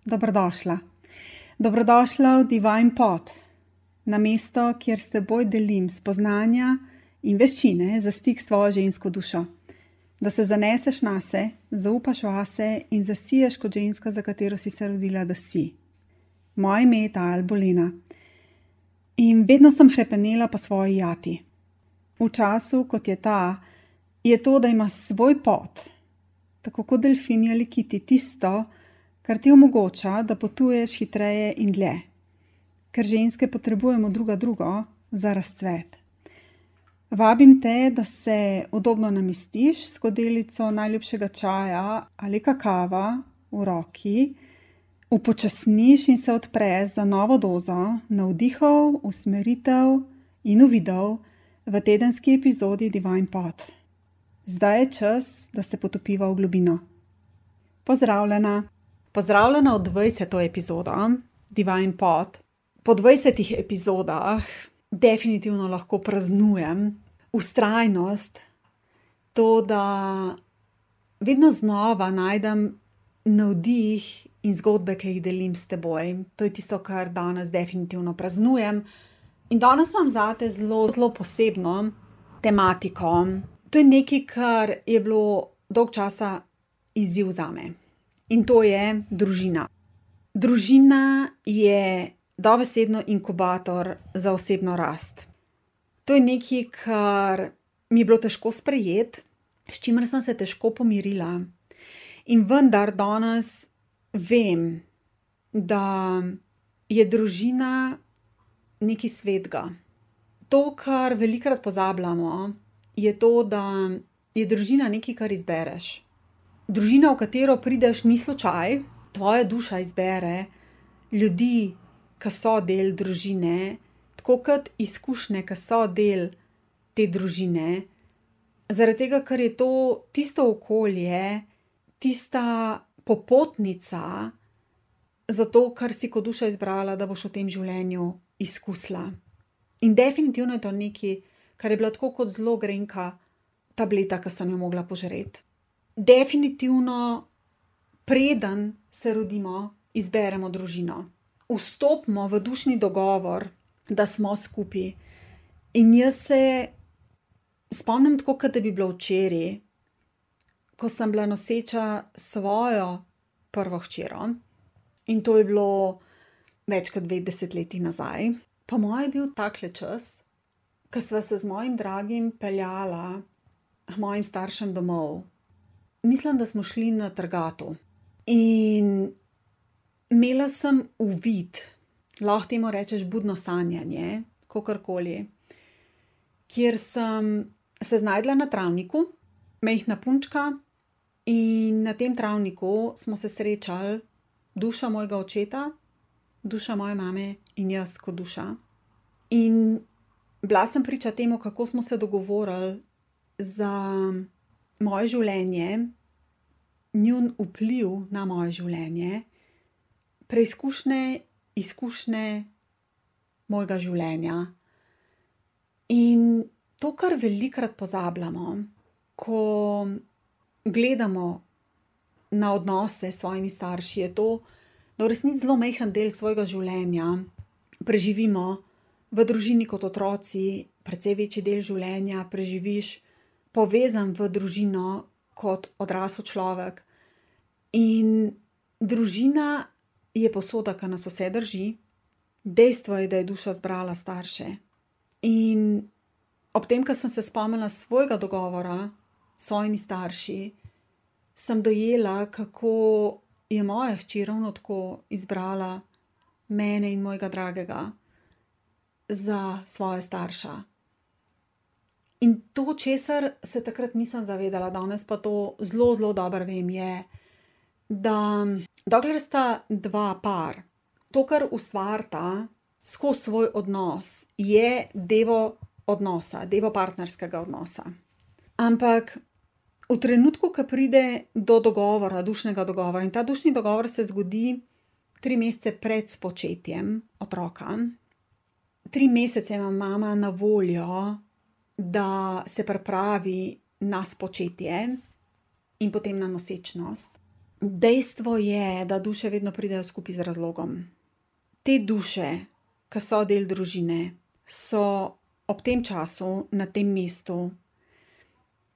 Dobrodošla. Dobrodošla v Divine Pod, na mesto, kjer s teboj delim spoznanja in veščine za stik s tvojo žensko dušo. Da se zaneseš nase, zaupaš vase in zasiješ kot ženska, za katero si se rodila, da si. Moje ime je Tajal Bolena in vedno sem hrepenela po svoji jati. V času, kot je ta, je to, da ima svoj pot, tako kot delfini ali kiti, tisto, kar ti omogoča, da potuješ hitreje in dlje. Ker ženske potrebujemo druga drugo za razcvet. Vabim te, da se udobno namestiš s skodelico najljubšega čaja ali kakava v roki, upočasniš in se odpreš za novo dozo navdihov, usmeritev in uvidov v tedenski epizodi Divine Pod. Zdaj je čas, da se potopiva v globino. Pozdravljena! Pozdravljena v 20. epizodo Divine Pod. Po 20 epizodah definitivno lahko praznujem vztrajnost, to, da vedno znova najdem navdih in zgodbe, ki jih delim s teboj. To je tisto, kar danes definitivno praznujem. In danes imam zate zelo posebno tematiko. To je nekaj, kar je bilo dolg časa izziv zame. In to je družina. Družina je dobesedno inkubator za osebno rast. To je nekaj, kar mi je bilo težko sprejeti, s čimer sem se težko pomirila. In vendar danes vem, da je družina nekaj svetega. To, kar velikokrat pozabljamo, je to, da je družina nekaj, kar izbereš. Družina, v katero prideš, ni slučaj, tvoja duša izbere ljudi, ki so del družine, tako kot izkušnje, ki so del te družine, zaradi tega, ker je to tisto okolje, tista popotnica za to, kar si kot duša izbrala, da boš v tem življenju izkusila. In definitivno je to nekaj, kar je bila tako kot zelo grenka tableta, ki sem jo mogla požreti. Definitivno, preden se rodimo, izberemo družino. Vstopimo v dušni dogovor, da smo skupaj. In jaz se spomnim tako, kot da bi bilo včeraj, ko sem bila noseča svojo prvo hčero. In to je bilo več kot 2 desetletji nazaj. Po moje je bil takle čas, ko sva se z mojim dragim peljala k mojim staršem domov. Mislim, da smo šli na Trgatu. In imela sem uvid, lahko temu rečeš budno sanjanje, kakorkoli, kjer sem se znašla na travniku, majhna punčka, in na tem travniku smo se srečali duša mojega očeta, duša moje mame in jaz kot duša. In bila sem priča temu, kako smo se dogovorili za moje življenje, njun vpliv na moje življenje, preizkušnje, izkušnje mojega življenja. In to, kar velikokrat pozabljamo, ko gledamo na odnose s svojimi starši, je to, da v resnici zelo majhen del svojega življenja preživimo v družini kot otroci, precej večji del življenja preživiš povezan v družino kot odrasel človek. In družina je posoda, ki nas vse drži. Dejstvo je, da je duša zbrala starše. In ob tem, ko sem se spomnila svojega dogovora s svojimi starši, sem dojela, kako je moja hči ravno tako izbrala mene in mojega dragega za svoja starša. In to, česar se takrat nisem zavedala, danes pa to zelo dobro vem, je, da dokler sta dva par, to, kar ustvarita skozi svoj odnos, je devo odnosa, devo partnerskega odnosa. Ampak v trenutku, ko pride do dogovora, dušnega dogovora, in ta dušni dogovor se zgodi 3 mesece pred spočetjem otroka, 3 mesece ima mama na voljo, da se pripravi na spočetje in potem na nosečnost. Dejstvo je, da duše vedno pridejo skupaj z razlogom. Te duše, ki so del družine, so ob tem času, na tem mestu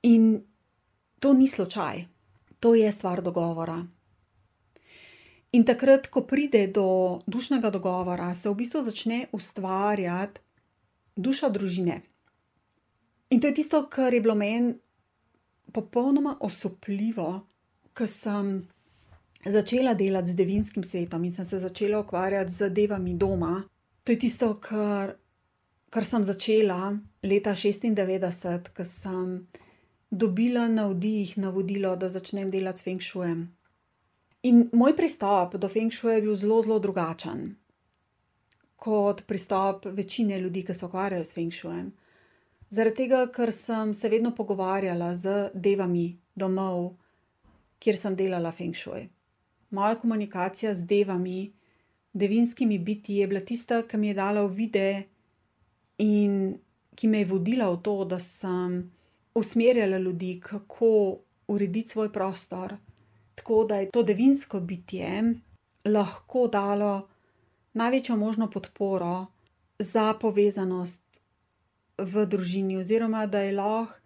in to ni slučaj. To je stvar dogovora. In takrat, ko pride do dušnega dogovora, se v bistvu začne ustvarjati duša družine. In to je tisto, kar je bilo meni popolnoma osupljivo, ko sem začela delati z devinskim svetom in sem se začela ukvarjati z devami doma. To je tisto, kar sem začela leta 1996, ko sem dobila navodilo, da začnem delati s Feng Shuijem. In moj pristop do Feng Shuija je bil zelo, zelo drugačen kot pristop večine ljudi, ki se ukvarjajo s Feng Shuijem. Zaradi tega, ker sem se vedno pogovarjala z devami domov, kjer sem delala Feng Shui. Moja komunikacija z devami, devinskimi bitji je bila tista, ki mi je dala uvide in ki me je vodila v to, da sem usmerjala ljudi, kako urediti svoj prostor, tako da je to devinsko bitje lahko dalo največjo možno podporo za povezanost v družini, oziroma da je lahko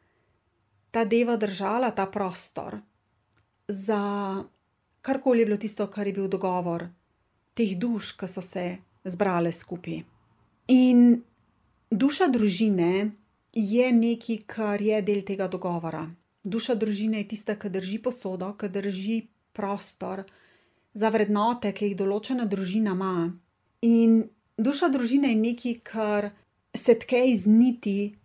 ta deva držala ta prostor za karkoli je bilo tisto, kar je bil dogovor teh duš, ki so se zbrale skupaj. In duša družine je nekaj, kar je del tega dogovora. Duša družine je tista, ki drži posodo, ki drži prostor za vrednote, ki jih določena družina ima. In duša družine je nekaj, kar se tke iz niti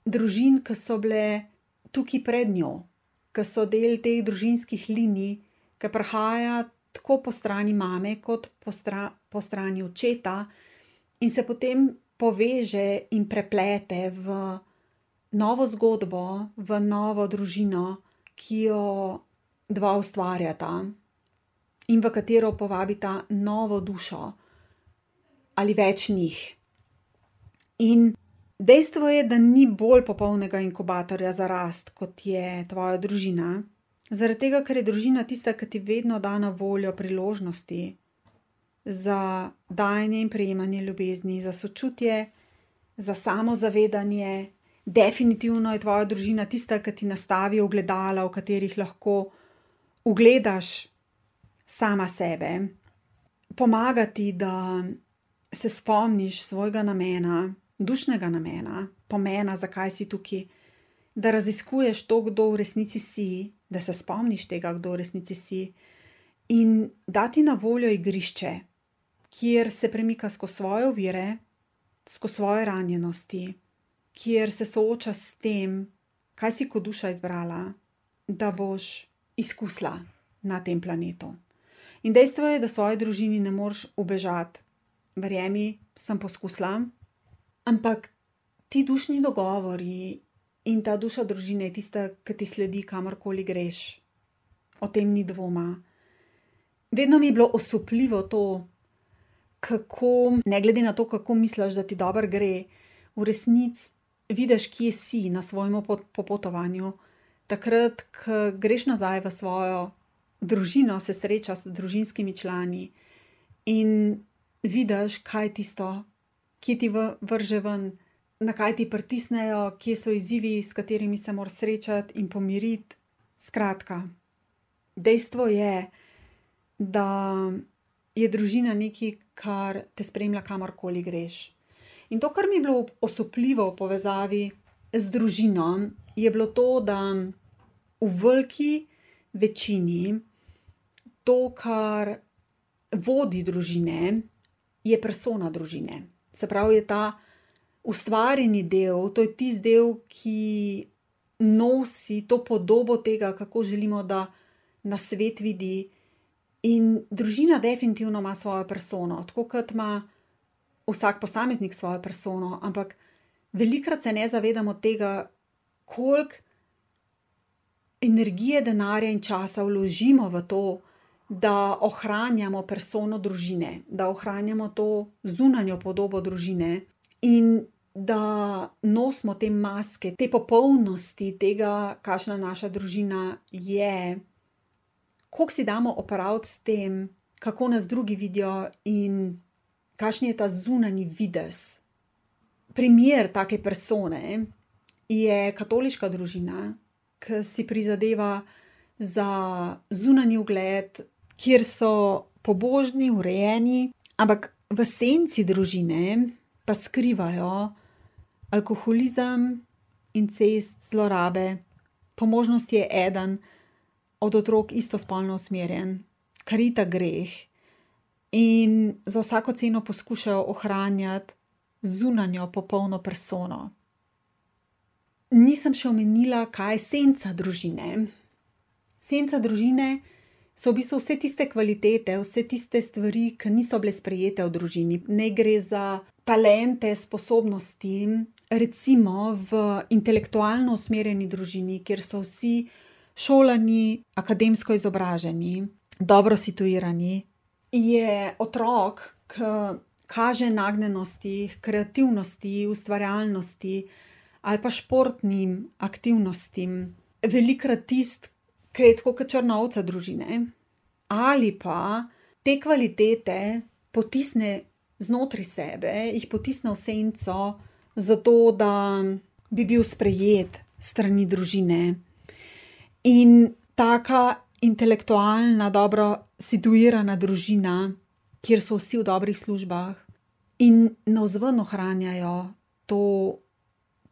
družin, ki so bile tukaj pred njo, ki so del teh družinskih linij, ki prihaja tako po strani mame kot po strani očeta in se potem poveže in preplete v novo zgodbo, v novo družino, ki jo dva ustvarjata in v katero povabita novo dušo ali več njih. In dejstvo je, da ni bolj popolnega inkubatorja za rast, kot je tvoja družina, zaradi tega, ker je družina tista, ki ti vedno da na voljo priložnosti za dajanje in prejemanje ljubezni, za sočutje, za samozavedanje. Definitivno je tvoja družina tista, ki ti nastavi ogledala, v katerih lahko ugledaš sama sebe. Pomaga ti, da se spomniš svojega namena, dušnega namena, pomena, zakaj si tukaj, da raziskuješ to, kdo v resnici si, da se spomniš tega, kdo v resnici si, in dati na voljo igrišče, kjer se premika skozi svoje ovire, skozi svoje ranjenosti, kjer se sooča s tem, kaj si kot duša izbrala, da boš izkusila na tem planetu. In dejstvo je, da svoji družini ne moreš ubežati. Verjemi, sem poskusila, ampak ti dušni dogovori in ta duša družine je tista, ki ti sledi, kamorkoli greš. O tem ni dvoma. Vedno mi je bilo osupljivo to, kako, ne glede na to, kako misliš, da ti dobro gre, v resnici vidiš, kje si na svojem popotovanju. Takrat, ko greš nazaj v svojo družino, se srečaš s družinskimi člani in vidiš, kaj je tisto, kje ti vrže ven, na kaj ti pritisnejo, kje so izzivi, s katerimi se moraš srečati in pomiriti. Skratka, dejstvo je, da je družina nekaj, kar te spremlja, kamorkoli greš. In to, kar mi je bilo osupljivo v povezavi z družino, je bilo to, da v veliki večini to, kar vodi družine, je persona družine. Se pravi, je ta ustvarjeni del, to je tisti del, ki nosi to podobo tega, kako želimo, da nas svet vidi. In družina definitivno ima svojo persono, tako kot ima vsak posameznik svojo persono, ampak velikokrat se ne zavedamo tega, koliko energije, denarja in časa vložimo v to, da ohranjamo persono družine, da ohranjamo to zunanjo podobo družine in da nosimo te maske, te popolnosti tega, kakšna naša družina je, koliko si damo opraviti s tem, kako nas drugi vidijo in kakšen je ta zunanji videz. Primer take persone je katoliška družina, ki si prizadeva za zunanji ugled, kjer so pobožni, urejeni, ampak v senci družine pa skrivajo alkoholizem, incest, zlorabe. Po možnosti je eden od otrok istospolno usmerjen, kar je itak greh, in za vsako ceno poskušajo ohranjati zunanjo popolno persono. Nisem še omenila, kaj je senca družine. Senca družine so v bistvu vse tiste kvalitete, vse tiste stvari, ki niso bile sprejete v družini. Ne gre za talente, sposobnosti, recimo v intelektualno usmerjeni družini, kjer so vsi šolani, akademsko izobraženi, dobro situirani, je otrok, ki kaže nagnjenosti, kreativnosti, ustvarjalnosti ali pa športnim aktivnostim, velikokrat tisti, ki je tako kot črna ovca družine, ali pa te kvalitete potisne znotraj sebe, jih potisne v senco, zato da bi bil sprejet strani družine. In taka intelektualna, dobro situirana družina, kjer so vsi v dobrih službah in navzven ohranjajo to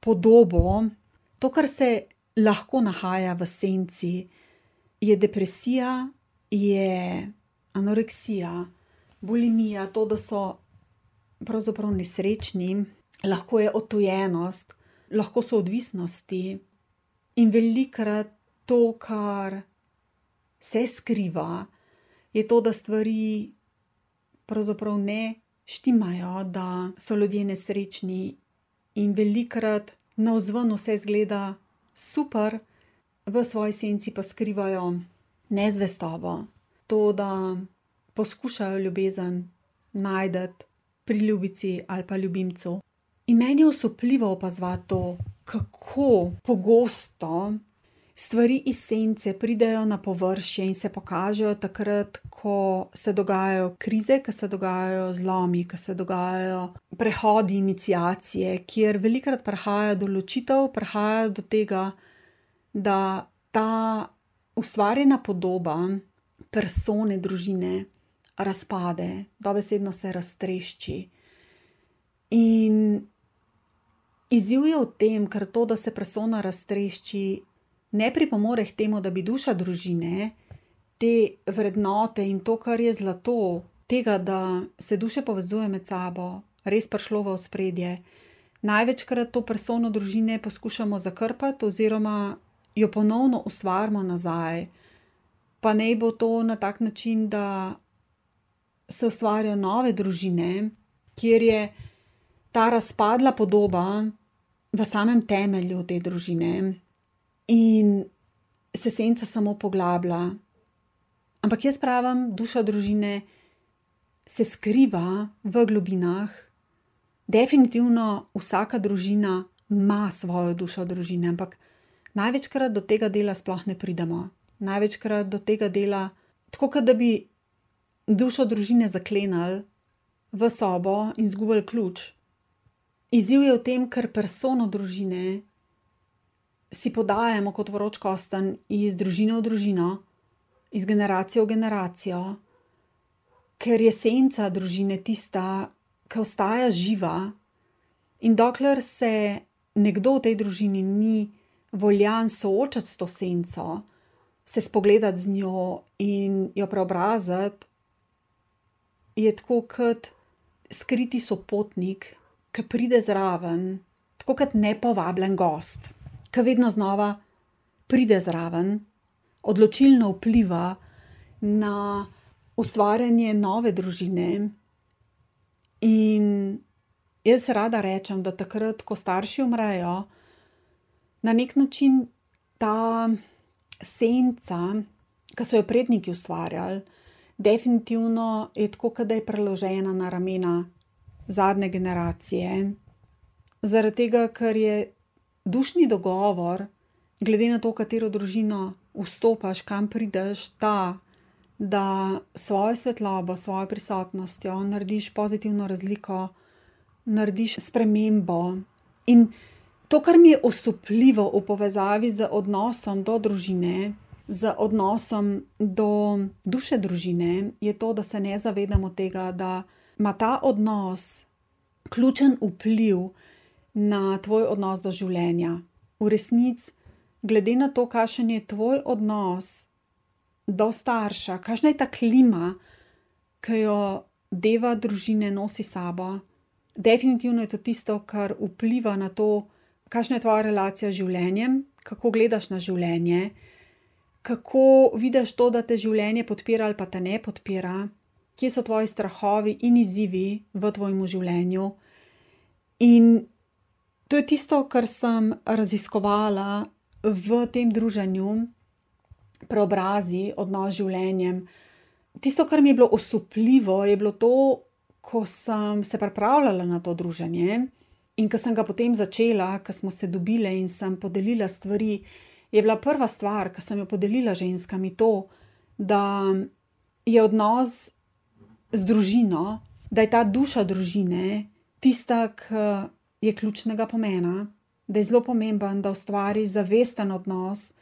podobo, to, kar se lahko nahaja v senci, je depresija, je anoreksija, bulimija, to, da so pravzaprav nesrečni, lahko je odtujenost, lahko so odvisnosti in velikokrat to, kar se skriva, je to, da stvari pravzaprav ne štimajo, da so ljudje nesrečni in velikokrat navzven vse izgleda super, v svoji senci pa skrivajo nezvestobo, to, da poskušajo ljubezen najti pri ljubici ali pa ljubimcu. In meni je osupljivo opazovati to, kako pogosto stvari iz sence pridejo na površje in se pokažejo takrat, ko se dogajajo krize, ko se dogajajo zlomi, ko se dogajajo prehodi, iniciacije, kjer velikokrat prihaja do ločitev, prihaja do tega, da ta ustvarjena podoba persone, družine razpade, dobesedno se raztrešči. In izziv je v tem, ker to, da se persona raztrešči, ne pripomore k temu, da bi duša družine, te vrednote in to, kar je zlato, tega, da se duše povezuje med sabo, res prišlo v ospredje. Največkrat to persono družine poskušamo zakrpati oziroma jo ponovno ustvarimo nazaj. Pa naj bo to na tak način, da se ustvarjajo nove družine, kjer je ta razpadla podoba v samem temelju te družine in se senca samo poglablja. Ampak jaz pravim, duša družine se skriva v globinah. Definitivno vsaka družina ima svojo dušo družine, ampak največkrat do tega dela sploh ne pridemo. Največkrat do tega dela, tako kot da bi dušo družine zaklenili v sobo in izgubili ključ. Izziv je v tem, ker persono družine si podajamo kot vroč kostanj iz družine v družino, iz generacije v generacijo, ker je senca družine tista, ki ostaja živa, in dokler se nekdo v tej družini ni voljan soočati s to senco, se spogledati z njo in jo preobraziti, je tako kot skriti sopotnik, ki pride zraven, tako kot nepovabljen gost, ki vedno znova pride zraven, odločilno vpliva na ustvarjanje nove družine. In jaz rada rečem, da takrat, ko starši umrejo, na nek način ta senca, ki so jo predniki ustvarjali, definitivno je tako, kot da je preložena na ramena zadnje generacije. Zaradi tega, ker je dušni dogovor, glede na to, katero družino vstopaš, kam prideš, ta, da svojo svetlobo, svojo prisotnostjo narediš pozitivno razliko, narediš spremembo. In to, kar mi je osupljivo v povezavi z odnosom do družine, z odnosom do duše družine, je to, da se ne zavedamo tega, da ima ta odnos ključen vpliv na tvoj odnos do življenja. V resnici, glede na to, kakšen je tvoj odnos do starša, kakšna je ta klima, ki jo deva družine nosi sabo, definitivno je to tisto, kar vpliva na to, kakšna je tvoja relacija z življenjem, kako gledaš na življenje, kako vidiš to, da te življenje podpira ali pa te ne podpira, kje so tvoji strahovi in izzivi v tvojem življenju. In to je tisto, kar sem raziskovala v tem druženju Preobrazi odnos z življenjem. Tisto, kar mi je bilo osupljivo, je bilo to, ko sem se pripravljala na to druženje in ko sem ga potem začela, ko smo se dobile in sem podelila stvari, je bila prva stvar, ko sem jo podelila ženskami, to, da je odnos z družino, da je ta duša družine tista, ki je ključnega pomena, da je zelo pomemben, da ustvari zavesten odnos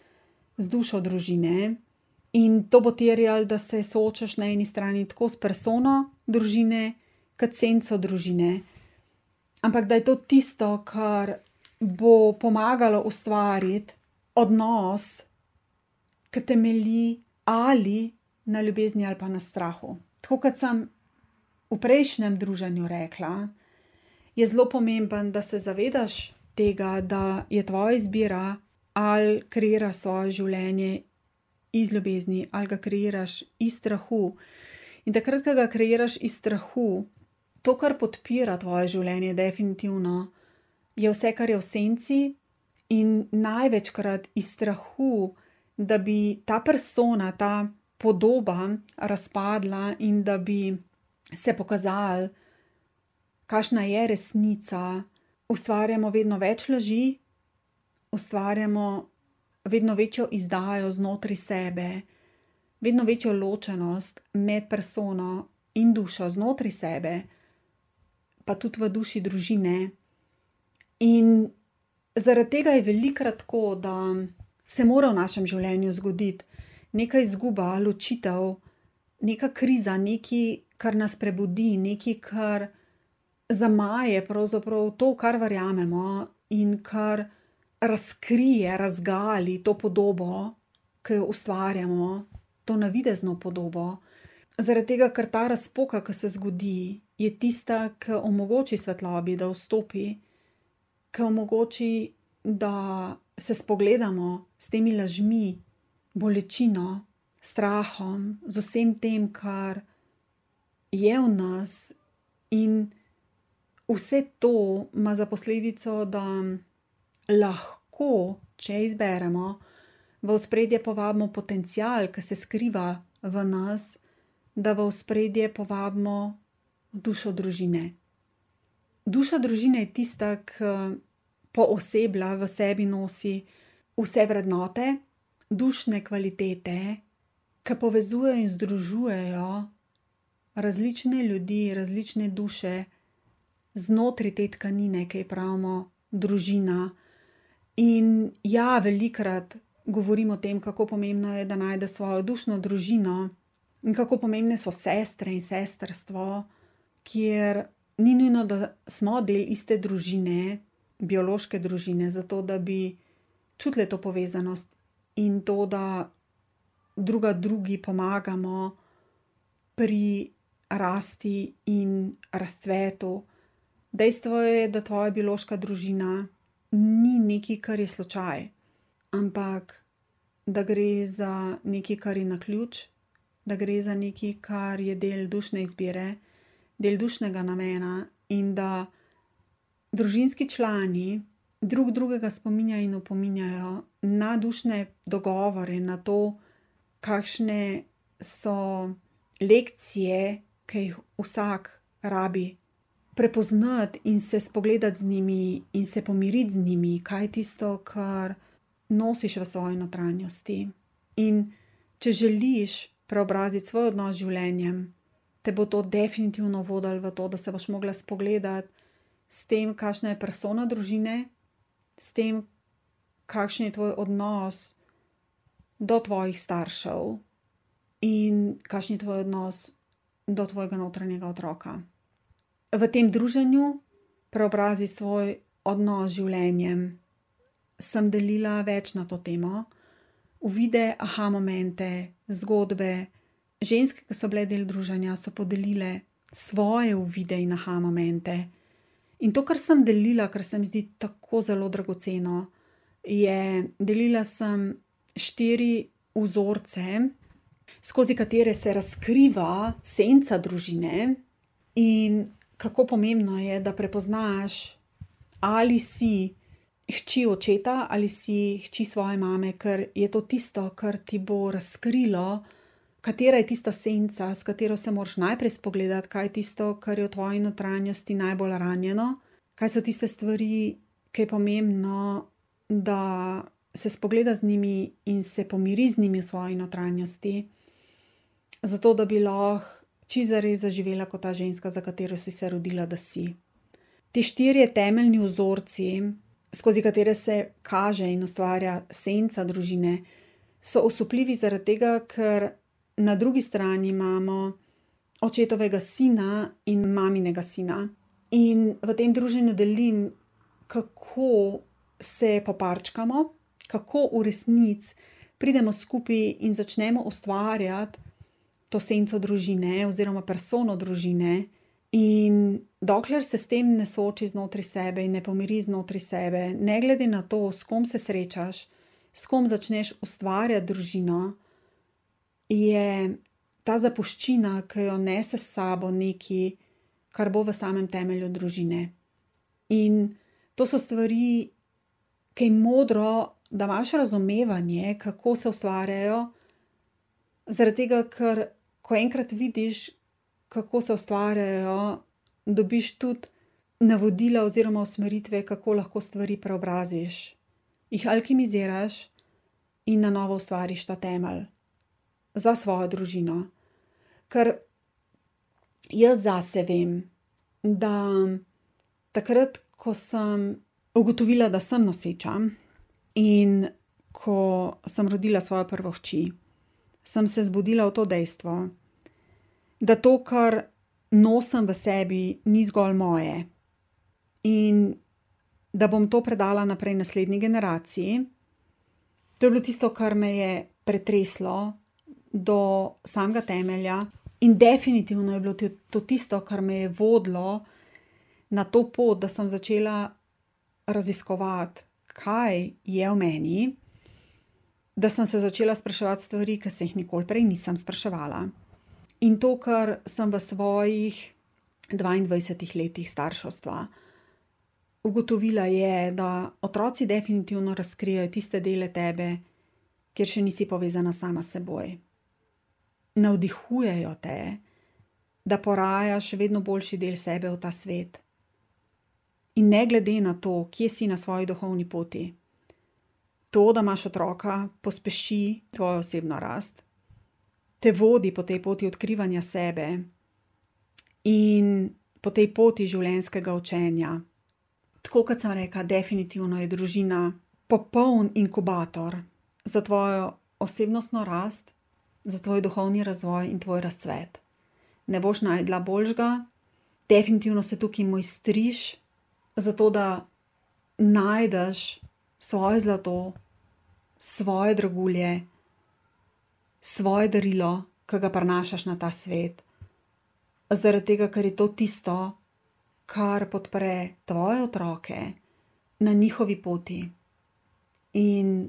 z dušo družine. In to bo terjalo, da se soočaš na eni strani tako s persono družine, kot senco družine. Ampak da je to tisto, kar bo pomagalo ustvariti odnos, ki temelji ali na ljubezni ali pa na strahu. Tako kot sem v prejšnjem druženju rekla, je zelo pomemben, da se zavedaš tega, da je tvoja izbira, ali kreiraš svoje življenje iz ljubezni, ali ga kreiraš iz strahu. In takrat, ko ga kreiraš iz strahu, to, kar podpira tvoje življenje, definitivno, je vse, kar je v senci, in največkrat iz strahu, da bi ta persona, ta podoba razpadla in da bi se pokazali, kakšna je resnica, ustvarjamo vedno več laži, ustvarjamo vedno večjo izdajo znotraj sebe, vedno večjo ločenost med persono in dušo znotraj sebe, pa tudi v duši družine. In zaradi tega je velikokrat tako, da se mora v našem življenju zgoditi neka izguba, ločitev, neka kriza, nekaj, kar nas prebudi, nekaj, kar zamaje pravzaprav to, kar verjamemo in kar razkrije, razgali to podobo, ki jo ustvarjamo, to navidezno podobo. Zaradi tega, ker ta razpoka, ki se zgodi, je tista, ki omogoči svetlobi, da vstopi, ki omogoči, da se spogledamo s temi lažmi, bolečino, strahom, z vsem tem, kar je v nas. In vse to ima za posledico, da lahko, če izberemo, v ospredje povabimo potencial, ki se skriva v nas, da v ospredje povabimo dušo družine. Duša družine je tista, ki pooseblja, v sebi nosi vse vrednote, dušne kvalitete, ki povezujejo in združujejo različne ljudi, različne duše znotraj te tkanine, ki ji pravimo družina. In ja, velikokrat govorim o tem, kako pomembno je, da najde svojo dušno družino in kako pomembne so sestre in sestrstvo, kjer ni nujno, da smo del iste družine, biološke družine, zato da bi čutili to povezanost in to, da druga drugi pomagamo pri rasti in razcvetu. Dejstvo je, da tvoja biološka družina ni nekaj, kar je slučaj, ampak da gre za nekaj, kar je naključ, da gre za nekaj, kar je del dušne izbire, del dušnega namena in da družinski člani drug drugega spominjajo in opominjajo na dušne dogovore, na to, kakšne so lekcije, ki jih vsak rabi prepoznati in se spogledati z njimi in se pomiriti z njimi, kaj je tisto, kar nosiš v svoji notranjosti. In če želiš preobraziti svoj odnos z življenjem, te bo to definitivno vodilo v to, da se boš mogla spogledati s tem, kakšna je persona družine, s tem, kakšen je tvoj odnos do tvojih staršev in kakšen je tvoj odnos do tvojega notranjega otroka. V tem druženju preobrazi svoj odnos z življenjem. Sem delila več na to temo, uvide, aha momente, zgodbe. Ženske, ki so bile del druženja, so podelile svoje uvide in aha momente. In to, kar sem delila, kar se mi zdi tako zelo dragoceno, je, delila sem 4 vzorce, skozi katere se razkriva senca družine in kako pomembno je, da prepoznaš, ali si hči očeta ali si hči svoje mame, ker je to tisto, kar ti bo razkrilo, katera je tista senca, s katero se moraš najprej spogledati, kaj je tisto, kar je v tvoji notranjosti najbolj ranjeno, kaj so tiste stvari, ki je pomembno, da se spogleda z njimi in se pomiri z njimi v svoji notranjosti, zato da bi lahko čisto zares zaživela kot ta ženska, za katero si se rodila, da si. Ti 4 temeljni vzorci, skozi katere se kaže in ustvarja senca družine, so osupljivi zaradi tega, ker na drugi strani imamo očetovega sina in maminega sina. In v tem druženju delim, kako se poparčkamo, kako v resnici pridemo skupaj in začnemo ustvarjati to senco družine oziroma persono družine. In dokler se s tem ne sooči znotraj sebe in ne pomiri znotraj sebe, ne glede na to, s kom se srečaš, s kom začneš ustvarjati družino, je ta zapuščina, ki jo nese s sabo nekaj, kar bo v samem temelju družine. In to so stvari, ki je modro, da imaš razumevanje, kako se ustvarjajo, zaradi tega, ker ko enkrat vidiš, kako se ustvarjajo, dobiš tudi navodila oziroma usmeritve, kako lahko stvari preobraziš, jih alkimiziraš in na novo ustvariš ta temelj za svojo družino. Ker jaz zase vem, da takrat, ko sem ugotovila, da sem noseča in ko sem rodila svojo prvo hči, sem se zbudila v to dejstvo, da to, kar nosim v sebi, ni zgolj moje in da bom to predala naprej naslednji generaciji. To je bilo tisto, kar me je pretreslo do samega temelja in definitivno je bilo to tisto, kar me je vodilo na to pot, da sem začela raziskovati, kaj je v meni, da sem se začela spraševati stvari, ki se jih nikoli prej nisem spraševala. In to, kar sem v svojih 22 letih starševstva ugotovila, je, da otroci definitivno razkrijajo tiste dele tebe, kjer še nisi povezana sama s seboj. Navdihujejo te, da porajaš vedno boljši del sebe v ta svet. In ne glede na to, kje si na svoji duhovni poti, to, da imaš otroka, pospeši tvojo osebno rast, te vodi po tej poti odkrivanja sebe in po tej poti življenjskega učenja. Tako kot sem rekla, definitivno je družina popoln inkubator za tvojo osebnostno rast, za tvoj duhovni razvoj in tvoj razcvet. Ne boš najdla boljšega, definitivno se tukaj mojstriš, zato da najdeš svoje zlato, svoje dragulje, svoje darilo, ki ga prinašaš na ta svet. Zaradi tega, ker je to tisto, kar podpre tvoje otroke na njihovi poti. In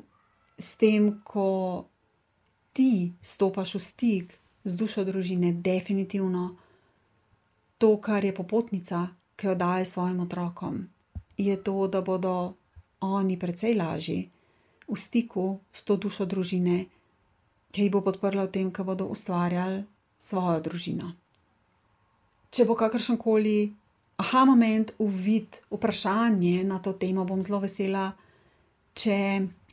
s tem, ko ti stopaš v stik z dušo družine, definitivno to, kar je popotnica, ki jo daje svojim otrokom, je to, da bodo oni precej lažji v stiku s to dušo družine, ki jih bo podprla v tem, ko bodo ustvarjali svojo družino. Če bo kakršenkoli aha moment, uvid, vprašanje na to temo, bom zelo vesela, če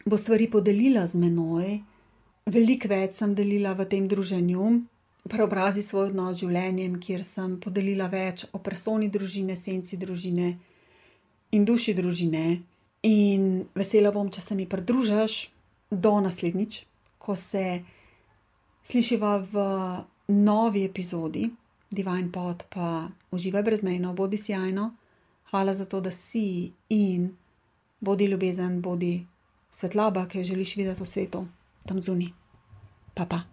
bo stvari podelila z menoj Veliko več sem delila v tem druženju, Preobrazi svoj odnos z življenjem, kjer sem podelila več o personi družine, senci družine in duši družine. In vesela bom, če se mi pridružiš do naslednjič, ko se slišiva v novi epizodi Divine Pod, pa uživaj brezmejno, bodi sijajno. Hvala za to, da si in bodi ljubezen, bodi svetloba, ki jo želiš videti v svetu, tam zunaj. Pa.